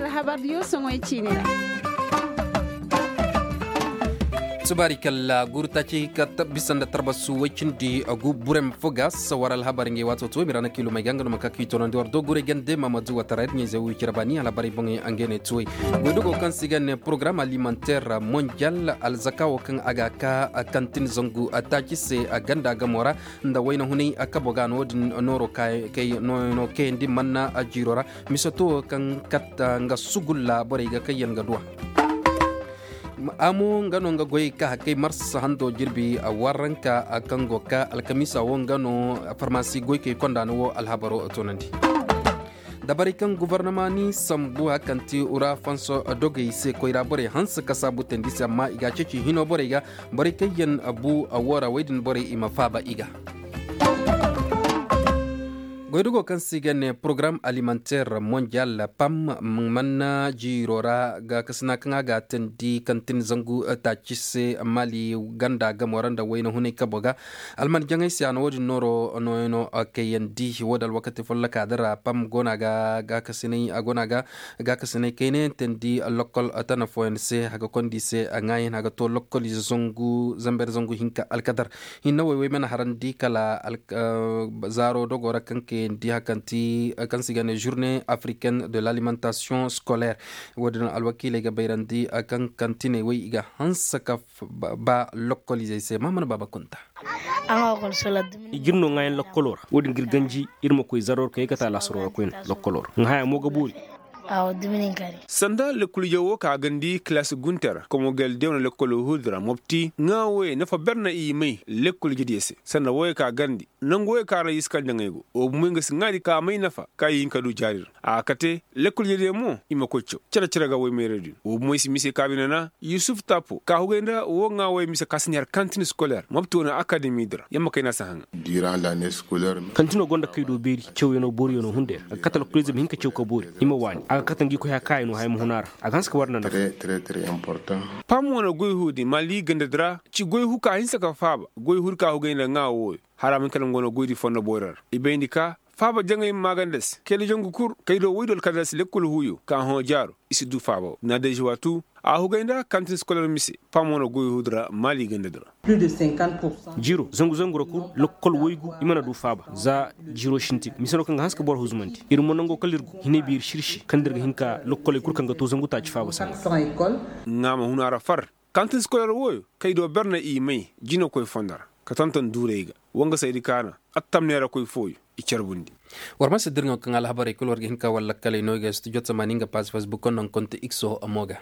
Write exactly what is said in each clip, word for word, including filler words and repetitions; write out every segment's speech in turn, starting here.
Alhabar diyo soŋoy ciini ra. Subaari kalla guru taaci ka bisa nda tarbasu way cindi agu burem fo ga sawar alhabar ngey waato tuway mira na kiilumey ga nga no ma ka k'i toonandi war do guray gande mamadu watara ir ɲayzey wo cire baani alhabarey boŋey ngey ne tuway. Goydugo kaŋ se i ga ne porogaram alimenter mondial alzaka wo kaŋ a ga ka kantin zangu taaci se ganda gamo ra nda wayna hunay kabo ga no- din nooro kay- kay- no- no kayandi manna jiiro ra. Misato wo kaŋ katta nga sugulla borey ga kaŋ yaŋ ga duwa. Amo nga no nga goy ka hakay marsa hando jirbi warranka kaŋ go ka alkamiisa wo nga no farmasi goykey konda no wo alhabaro toonandi. Dabarey kaŋ gobornama ni sambu hakanti ura fanso dogey se koyra borey hanse ka saabu teendi se amma i ga a ceeci hino borey ga borey kaŋ yaŋ bu a wo ra wey din borey i ma faaba i ga. Goydugo kaŋ se i ga ne porogaram alimenter mondial pam manna jiiro ra gaakasina kaŋ a ga a teendi kantin zangu taaci se mali ganda gamo ra nda wayna hunay kabo ga. Alman jaŋay se a na wo- din nooro nooyo no kayandi wo- din alwakati folloka din ra pam go no a ga gaakasinay a go no a ga gaakasinay kaynayaŋ teendi lokkol tana fooyaŋ se a ga kondi se a ŋaayan a ga to lokkoliize zangu zamber zangu hinka alkadar. Hinne woy woy mana harandi kala zaaro dogo ra kaŋ kayandi hakanti kaŋ se i ga ne journée africaine de l'alimentation scolaire. Wo- din alwakiiley ga bayrandi kaŋ kantiney woy i ga hanse ka ba lokkoliizey se mahamana baaba kunta. I ga ir no ŋaayan lokkoloo ra wo- din ga ir ganji ir ma koy zaroo ra ka yee ka taa laasaroo ra koyne lokkoloo ra ŋa haya mo ga boori. Sanda lekkol ije wo ka gandi kilaasi guntey ra komogel de wane lekkol huudi ra mopti ŋaa wooyey nafa ber na i may lekkol ije diyo se sanda wooyey ka gandi nangu wooyey ka ra i si kala jaŋay go woo bumey nga si ŋaadi ka may nafa ka i hin ka du jaari ra a ga kate lekkol ije diyo mo i ma koy caw cere cere ga woy mayradiyo woo bumey si mise ka bine na yusuf tapo ka hugay nda woo ŋaa wooyey mise ka si ne har kantin skoler mopti wane akademi di ra yamma kayna si haŋa. Kantinoo gonda kay do beeri cawyanoo booriyanoo hunday ra a ga kate lokoliize ma hin ka caw ka boori i ma waani a ga kate ngi koy haya kaayanoo haya ma hun a ra a ga hanse ka war nda nafa. Pam wane goy huudi mali gandadi ra ci goy hu ka hinsa ka faaba goy huudi ka hugay nda ŋaa wooyo hala ma hin kala nga wane goydi fondo boori ra i bayndi ka faaba jaŋay ma maaganda se kayda jangu kul kaydo woy do alkadar se lekkol huuyo ka hõ jaaro i si du faaba wo na day zuwaatu a hugay nda kantin skoler mise pam wane goy huudi ra mali gandadi ra. Jiiro zangu zangu ra kul lokkol woygu i mana du faaba za jiiro sintin mise no kaŋ ga hanse ka boro huzumandi ir mo nango kala ir go hinay beeri sirsi kaŋ da ir ga hin ka lokkoley kul kaŋ ga to zangu taaci faaba sanda. Ŋaa ma hun a ra far kantin skoler wooyo kay do ber na i may jinakoy fondo ra ka tonton duurey ga wangasaydi kaana attam neerakoy fooyo i carbundi. War ma si dirŋo kaŋ alhabarey kul war ga hin ka war lakkaley no i ga studio tamaani nga paasi facebook no nga konte ikso mo ga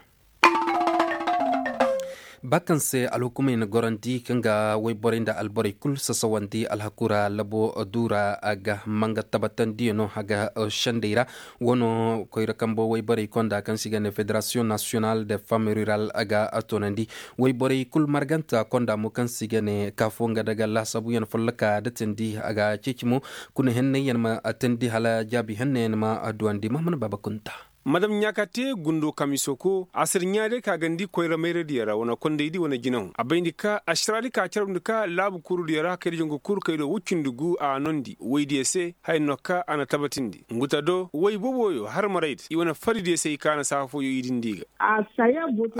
ba kaŋ se alhukumey na gorandi kaŋ ga wayborey nda alborey kul sasawandi alhaku ra labo duura a ga manga tabatandiyano a ga sendey ra wano koyra kambo wayborey konda kaŋ se i ga ne federasiyoŋ nasiyonal de femme rural a ga toonandi wayborey kul marganta konda mo kaŋ se i ga ne kaafo nga daga laasabuyaŋ folloka datandi a ga ceeci mo kuna henney yaŋ ma tandi hala jaabi henney yaŋ ma duwandi mahamana baaba kunta. Madam ɲaaka te gundo kamisoko a sir ɲaa day ka gandi koyra mayradiyo ra wane kondaydi wane jinahu a bayndi ka ašaraadi ka carabndi ka laabu kurudiyo ra kaydiyo nga kul kaydo wuccindi gu a nondi woydiyo se haya no ka a na tabatindi nguta do woy boboyo har maraydi i wane faridiyo se i ka na saafoyo i dindi ga.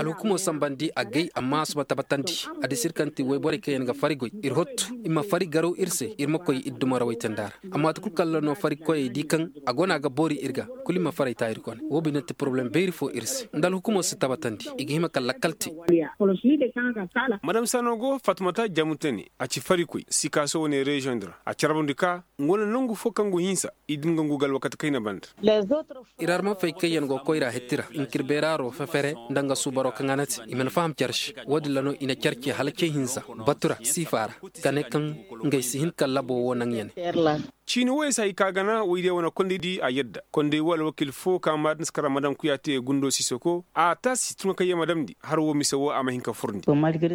Alhukumo sambandi agay amma a si ma tabatandi a disi ir kaŋ ti woyborey kaŋ yaŋ ga fari goy ir hottu i ma fari garaw ir se ir ma koy ir dumo ra woy tanda ra amma waati kul kaŋ ra no fari koyey di kaŋ a go no a ga boori ir ga kulu i ma faray ta ir kone wo bine ti poroblem beeri fo ir se nda alhukumo si tabatandi i ga hima ka lakkal te. Madam sano go fatumata jamu tane a ci farikoy sikaaso wane reziyoŋ di ra a carbundi ka nga wane nangu fo kaŋ go hinsa i din ga ngu ga alwakati kayna banda. Ir arma fay kaŋ yaŋ go koyra hettira nkir beeraaro fefere nda nga suubaroo kaŋ a na te i mana faham care se wo-din ra no i na care ce hala ce hinza batu ra siifa ra ka ne kaŋ ngey si hin ka labo wo naŋ ya ne. Ciini woyey se hay ka gana woydiyo wane kondey di a yadda kondey wo alwakiil fo ka maadin si kara madam kuya te gundo sisoko a taasi tuma kaŋ ye ma damndi har wo mise wo a ma hin ka furndi.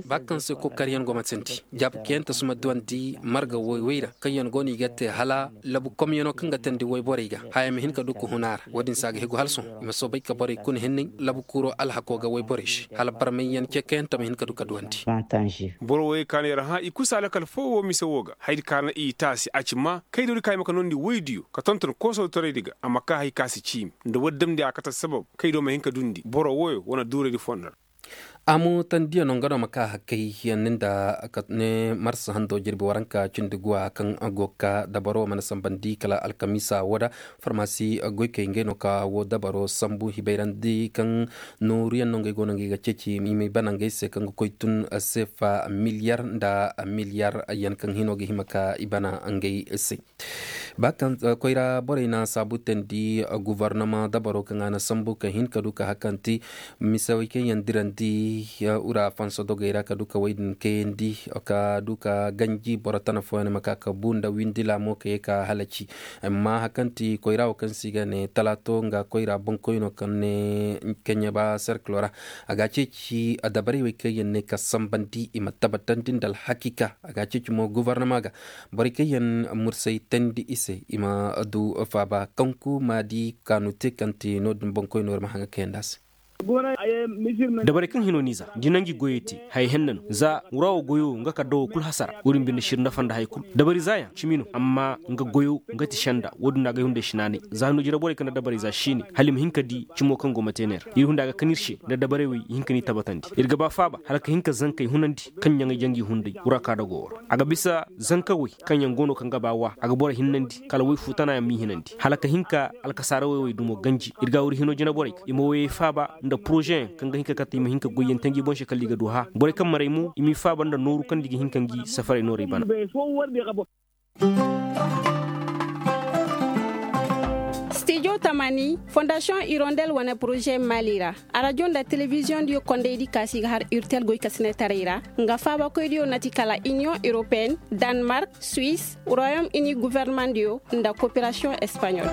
Ba kaŋ se kokaryaŋ go ma tindi jaabi kayante si ma duwandi marga woy woy ra kaŋ yaŋ go no i ga te hala labu komyano kaŋ ga tandi woyborey ga haya ma hin ka du ka hun a ra wo-din se a ga hegu hala sohõ i ma soobay ka borey kuna hinney labu kuuro alhako ga woyborey se hala barmayyaŋ ce kayante ma hin ka du ka duwandi. Boro woyey kaanu yar hã i kusa lakal fo wo mise wo. Wo ga haydi ka na i taasi a ci maa kaydoo di ka i ma ka noondi woydiyo ka tonton koosoo toraydi ga a ma kaa hay ka si ciimi nda woodi damndi a kate sabab kaydoo ma hin ka duundi boro woyo wane duuraydi fondo ra. A mo tandiya no nga no ma kaa hakkay yaŋ ni nda ne marsa hando jirbi waranka cindi guwa kaŋ go ga kaa dabaro mana sambandi kala alkamiisa woo da farmasi goykey ngey no ka woo dabaro sambu hibayrandi kaŋ nooruyaŋ no ngey go no ngey ga ceeci i ma i bana ngey se kaŋ ga koy tun seefa miliyar nda miliyar yaŋ kaŋ hino ga hima ka i bana ngey se. Ba kaŋ koyra borey na saabu teendi guvarnama dabaro kaŋ a na sambu ka hin ka du ka hakanti misawey kaŋ yaŋ dirandi ura fansa dogey ra ka du ka wey din kayandi ka du ka ganji boro tana fooyaŋ ma ka ka bu nda windi laamo ka ye ka halaci. Amma hakanti koyra wo kaŋ se i ga ne talaato nga koyra boŋkoyno kaŋ ne keɲeba serkilo ra a ga a ceeci adabarey wey kaŋ yaŋ ne ka sambandi i ma tabatandi nda alhakiika a ga a ceeci mo guvarnama ga borey kaŋ yaŋ mursay teendi i se i ma du faaba kaŋ ku maadi kaanu te kaŋ te no- din boŋkoyno war ma haŋa kayandi a se. Dabarey kaŋ hino n'i za da i na ngi goyey te haya henna no za wura wo goyo nga kala da wo kul hasara wo- din binde sir nafa nda haya kul dabari zaayaŋ cimi no amma nga goyo nga ti senda wo- din no agay hunday si naanay za hino jire borey kaŋ nda dabarey za siine hala i ma hin ka di cimo kaŋ go ma te ne ra ir hunday a ga kan ir se nda dabarey wey i hin ka n'i tabatandi ir ga ba faaba hala ka hin ka zankey hunandi kaŋ ɲaŋey jangi hunday wura ka da go wo ra a ga bisa zankawey kaŋ yaŋ go no kaŋ ga ba wa a ga boro hinnandi kala woy fu tana yaŋ m'i hinandi hala ka hin ka alkasaarawey wey dumo ganji ir ga wuri hino jina borey i ma woyey faaba nda porozeyaŋ kaŋ ga hin ka kate i ma hin ka goyyaŋ te ngi boŋ se kala i ga du hã borey kaŋ maray mo i m'i faaba nda nooru kaŋ nda i ga hin ka ngi safarey noorey bana. Stijo tamani fondasiyoŋ irondel wane poroze maali ra arajo nda telebiziyoŋ diyo kondaydi kaasi ga har urtel goy ka sinetaray ra nga faabakoy diyo na ti kala iniyoŋ europeen danmark, suis, royom ini guvernemandiyo nda koperasiyoŋ espanyol.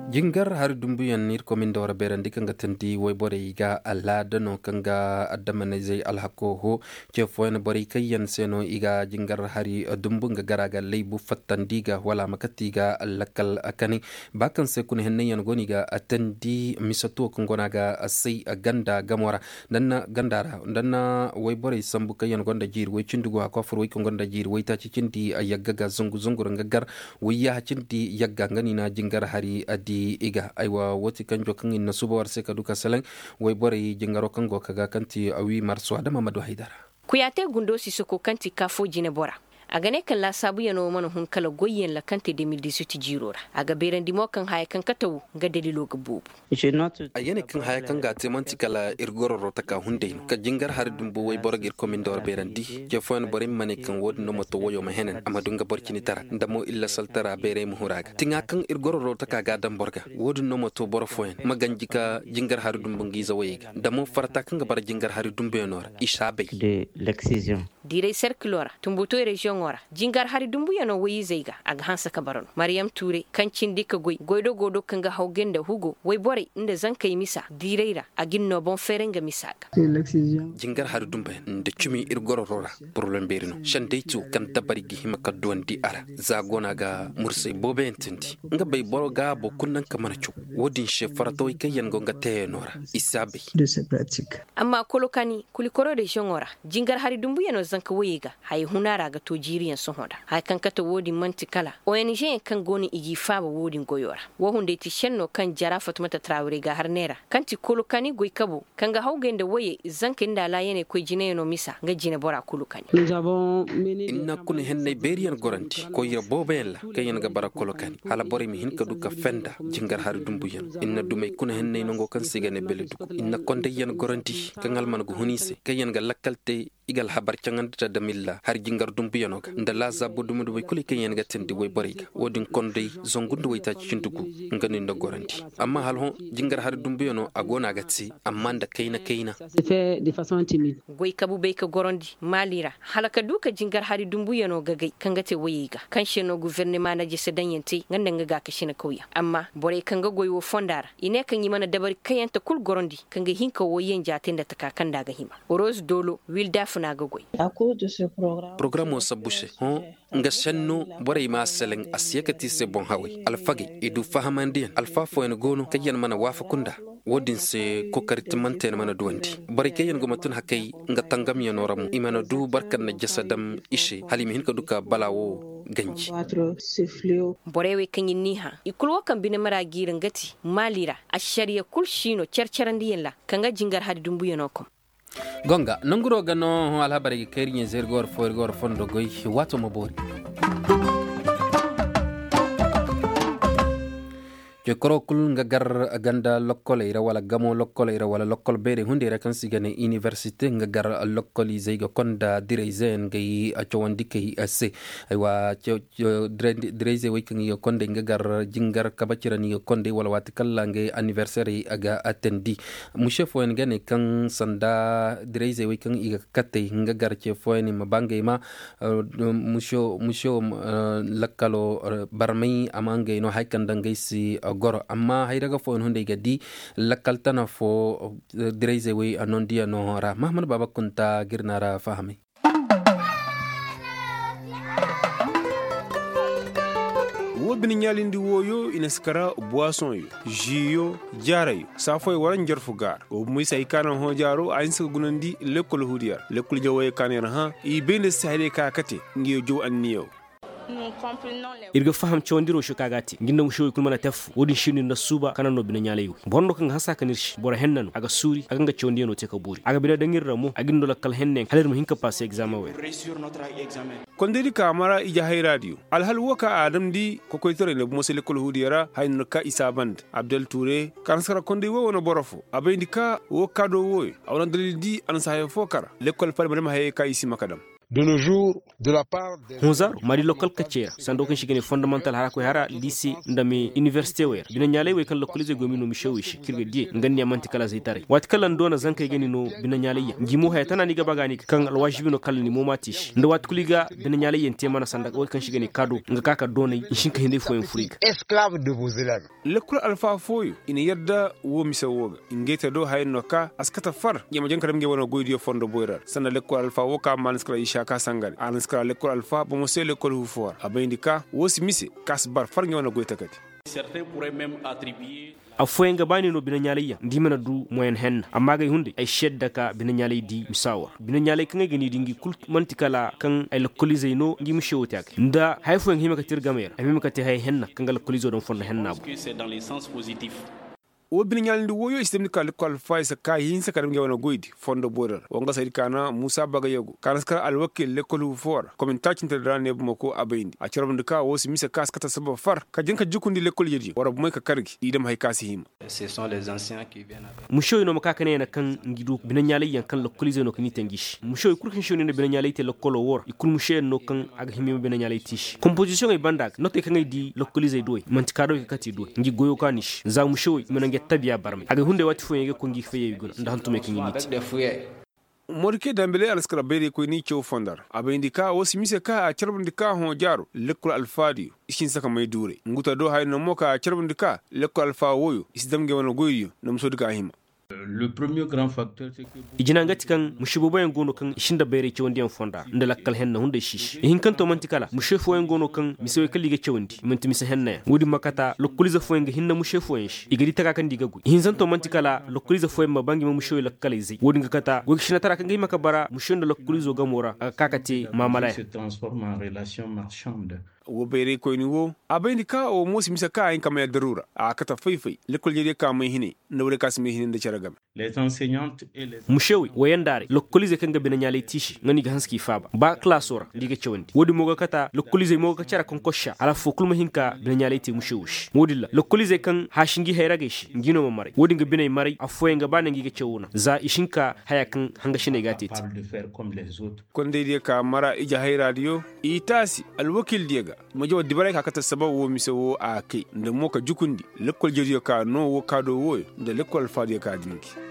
Jingar hari dumbuyaŋ ir komin da war beerandi kaŋ ga tandi woyborey ga alaada no kaŋ ga addamanizey alhakoo hoo ce fooyaŋ borey kaŋ yaŋ se no i ga jingar hari dumbu nga gara ga laybu fattandi ga wala a ma kate i ga lakkal kanay ba kaŋ se kuna henney yaŋ go no i ga tandi misatuwo kaŋ go no a ga say ganda gamo ra nda na ganda ra nda na woyborey sambu kaŋ yaŋ gonda jiiri woy cindi go a kofur woy kaŋ gonda jiiri woytaaci cindi yagga ga zungu zungu ra nga gar woy yaaha cindi yagga nga no i na jingar hari di i ga aywa woo ti kanjo kaŋ i na suuba war se ka du ka salaŋ woyborey jingaro kaŋ go ka ga kaŋ ti wi marso adama ma du haydara. Kuyaate gundo sisako kaŋ ti kaafo jinebora a ga ne kaŋ laasaabuyaŋo mana hun kala goyyaŋ lakante de mil dizuit jiiro ra a ga beerandi mo kaŋ haya kaŋ kate wo nga dalilo ga boobo. Ay ga ne kaŋ haya kaŋ ga a te man'ti kala ir gororo taka hunday no ka jingar hari dumbu wayboro ga ir komin da war beerandi ce fooyaŋ borey ma ne kaŋ wo- din no ma to wayo ma henan a ma du nga boro cini tara nda mo illa saltara beerey ma huru a ga tiŋa kaŋ ir gororo taka ga a daŋ boro ga wo- din no ma to boro fooyaŋ ma ganji ka jingar hari dumbu nga ize wayey ga nda mo farata kaŋ ga bara jingar hari dumbuyaŋo ra i si a bay. Diiray serkilo ra tumbutoy reziyoŋo ra jingar hari dumbuyaŋo woy-izey ga a ga hanse ka bara no mariyam tuuray kaŋ cindi ka goy goydogo do kaŋ ga hawgay nda hugo woyborey nda zankey misa diiray ra a ga ni no boŋ feeray nga misa ga. Jingar hari dumbuyaŋ nda cumi ir gororo ra poroblem beeri no sendey ti wo kaŋ dabari ga hima ka duwandi a ra za go no a ga mursay booboyaŋ tindi nga bay boro gaabo kulu naŋ ka mana caw wo- din se faratawey kaŋ yaŋ go nga teeyaŋo ra i si a bay. Amma kolokani kulikoro reziyoŋo ra jingar hari dumbuyaŋo zanka woyey ga haya huna ra ga to jiiriyaŋ sohõ nda haya kaŋ kate wo- din man'ti kala ong yaŋ kaŋ go no i g'i faaba wo- din goyo ra wo hunday ti šenno kaŋ jara fatumata tarawirey ga har neera kaŋ ti kolokani goykabo kaŋ ga hawgay nda woyey zankey nda alaayaney koy jinayaŋo misa nga jinebora kolokani. Ir na kuna henney beeriyaŋ gorandi koyra booboyaŋ ra kaŋ yaŋ ga bara kolokani hala borey ma hin ka du ka fenda jingar hari dumbuyaŋ ir na dumey kuna henney nango kaŋ se i ga ne beledugu ir na kondayyaŋ gorandi kaŋ alman ga hun i se kaŋ yaŋ ga lakkal te i ga alhabar caŋandi nda damilla hari jingar dumbuyaŋo ga nda laazaabu dumi-dumey kulu kaŋ yaŋ ga teendi woyborey ga wo- din konday zangu nda waytaaci cindi gu nga no ir na gorandi amma hala hõ jingar hari dumbuyaŋo a go no a ga te amma nda kayna-kayna. Goykabu bay ka gorandi maali ra hala ka du ka jingar hari dumbuyaŋo gagay kaŋ ga te woyey ga kaŋ se no gufernema na jese daŋyaŋ te nga nda nga gaakasina kawyaŋ amma borey kaŋ ga goy wo fonda ra i ne kaŋ i mana dabari kayante kul gorandi kaŋ ga hin ka woyyaŋ jaate nda taka kaŋ nda a ga hima. Rose dolo wilda. kuna ga goy. Porogaraamo sabbu se hõ nga senno borey m'a seleŋ a si ye ka ti i se boŋ haway alfagey i du fahamandiyaŋ alfa fooyaŋ go no kaŋ yaŋ mana waafaku nda. Wo-din se kookari timmante yaŋ mana duwandi borey kaŋ yaŋ go ma tun hakay nga tangamyaŋo ra mo i mana du boro kaŋ na jasa dam i se hala i ma hin ka du ka balaa wo ganji. Borey wey kaŋ yaŋ n'i hã i kulu wo kaŋ bine mara g'i ra nga ti maali ra ašariya kul siino care carandiyaŋ ra kaŋ ga jingar hari dumbuyaŋo kom. Gonga nanguro ga no hõ alhabarey ga kay iri ɲayze iri ga war fo iri ga war fondo goy. Waato ma boori. Cekoro kul nga gar ganda lokkoley ra wala gamo lokkoley ra wala lokkol beerey hunday ra kaŋ se i ga ne inibersite nga gar lokkoliizey ga konda dirayzeyaŋ ga i cawandi kay se. Aywa. Dirayzey wey kaŋ i ga konday nga gar jingar kabaci ra no i ga konday wala waati kala ngey aniberserey a ga attendi. Muse fooyaŋ ga ne kaŋ sanda dirayzey wey kaŋ i ga katey nga gar ce fooyaŋ i ma ba ngey ma. Muse wo lakkalo barmay a ma ngey no hari kaŋ daŋ ngey si goro amma hayraga fooyaŋ hunday ga di lakkal tana fo. Dirayzey wey a nondiyaŋo ra mahamad baaba kunta ga ir na ra fahamay. Wo bine ɲaalindi wooyo i na si kara buwasoŋyo, žiiyo, jaarayo saafoyo wala njarfu gaara wo bumo i se hay ka naŋ hõ jaaro a hinse ka gunandi lekkol huudiya ra lekkol jawayey ka naŋ yar hã. I bay nda si hayrey ka a kate. Nga yo jaw anniya wo. Ir ga faham cawandi roosho ka ga a te nga nda mušewey kul mana te affo wo-din šindi nda suuba kaŋ naŋ no bine ɲaalay wey boro no kaŋ ga hanse a kan ir se boro henna no a ga suuri a ga nga cawandiyaŋo te ka buuri a ga bine daŋ ir ra mo a ga ir no lakkal henna yaŋ hala ir ma hin ka paase egzaameŋ wey ra. Kondaydi ka a mara ije hayraadiyo alhal wo ka a damndi kokoytaray nda bumo se lekkol huudiyo ra haya no ka i saabandi abdel tuure ka na si kara konday wo wane boro fo a bayndi ka wo kaado wooyo a wane dalil di a na si haya fo kara lekkol fari ma dam hayey ka i si ma ka dam. Hunzaaru ma di lokkal kaccey ra sanda wo kaŋ se i ga ne fondamantal hara koy hara liise nda me inibersite wey ra bine ɲaalay wey kaŋ lokkoliizey go ma i no mišewey se kaŋ ir ga diyey nga ni a man'ti kala zaytaray waati kala ni doona zankey ga ni no bine ɲaalay yaŋ ngi mo haya tana ni ga ba ga ni ga kaŋ alwaazibi no kala ni mo m'a te i se nda waati kulu i ga bine ɲaalay yaŋ te mana sanda wey kaŋ se i ga ne kaado nga ka ka doonay i si hin ka hinday fooyaŋ fur i ga. Lekkol alfaa fooyo i na yadda woo mise woo ga ngey te do haya no ka a si kate far ngey ma jaŋ ka dam ngey wane goydiyo fondo boyra ra sanda lekkol alfaa woo ka ma a na si kala isaka sangare a na si kala lekkol alfaa bomo se lekkol huufoora a bayndi ka woo si mise ka a si bar far ngey wane goy takadi. Affooyaŋ ga ba ni no bine ɲaalay yaŋ nda i mana du moyen henna amma agay hunday ay si yadda ka bine ɲaalay di misa woo ra bine ɲaalay kaŋ ay ga ni di ngi kul man'ti kala kaŋ ay lokkoliizey no ngi mise woo te a ga nda haya fooyaŋ ga hima kate ir gamey ra ay ma hima kate haya henna kaŋ ga lokkoliizo daŋ fondo henna boŋ. Woo bine ɲaalindi wooyo i si damndi ka lekkol alfaa i si ka hinsa ka dam ngey wane goydi fondo boyra ra woo nga saydi ka na muusa bagayego ka na si kar alwakil lekkol huufoora komin taacintedi ra ne bamako a bayndi a carbundi ka woo si mise ka si kate sabab far ka jaŋ ka jukundi lekkol jediyo war bomey ka kar gi i dam haya ka si hima. Musewey no ma ka ka ne yana kaŋ ngi du bine ɲaalay yaŋ kaŋ lokkoliizey no ka ni te ngi se musewey kul kaŋ se no i na bine ɲaalay te lokkoloo woo ra i kul museyaŋ no kaŋ a ga hima i ma bine ɲaalay te i se kompozisiyoŋey banda ga notey kaŋ ay di lokkoliizey duwey man'ti kaadawey ka kate i duwey ngi goyoo ka no i se za musewey i ma naŋ ngi attabiya barmay agay hunday waati fooyaŋ i ga koy ngi fayyey guna nda hantumey kaŋ i n'i te. Morike dambeley a na si kara bayraykoy n'i caw fondo ra a bayndi ka woo si mise ka a carbundi ka hõ jaaro lekkol alfaadiyo i si hinsa ka may duuray ngu ta do haya no mo ka a carbundi ka lekkol alfaa wooyo i si dam ngey wane goydiyo nda musoodi ka hima. I jina nga ti kaŋ muse booboyaŋ go no kaŋ i si nda bayray cawandiyaŋ fonda nda lakkal henna hunday si i se ihinkanto man'ti kala muse fooyaŋ go no kaŋ misewey kala i ga cawandi i man'ti mise hennayaŋ woodin ma kata lokkoliize fooyaŋ ga hinna muse fooyaŋ se i ga di taka kaŋ nda i ga goy ihinzanto man'ti kala lokkoliize fooyaŋ ma ba ngi ma musewey lakkaley zay woodin ga kata goy ga sinatara kaŋ ga hima ka bara muse nda lokkoliizo gamo ra a ga ka ka te maamalayaŋ. Wo bayraykoyni wo a bayndi ka wo mo si mise ka a hin ka may addaruura a kate fay-fay lekkol jediyo ka may hinay nda woodiyo ka si may hinay nda cere game. Musewey wayandaaray lokkoliizey kaŋ ga bine ɲaalay tiisi nga no i ga hanse k'i faaba ba kalaasoo ra nda i ga cawandi woodin mo ga kata lokkoliizey mo ga ka care kaŋ kossa hala affoo kulu ma hin ka bine ɲaalay te musewey se woodin ra lokkoliizey kaŋ haasi ngi hayragey se ngi no ma maray woodin ga biney maray affooyaŋ ga ba ne ngi ga cawo naŋ za i si hin ka haya kaŋ hangasiney ga a te te. Kondaydiyo ka mara ije hayraadiyo i taasi alwakiildiyo ga ma jaw dibaray ka kate sabab woo mise woo a kay nda mo ka jukundi lekkol jediyo ka noo woo kaadoo wooyo nda lekkol alfaadiyo ka dingi.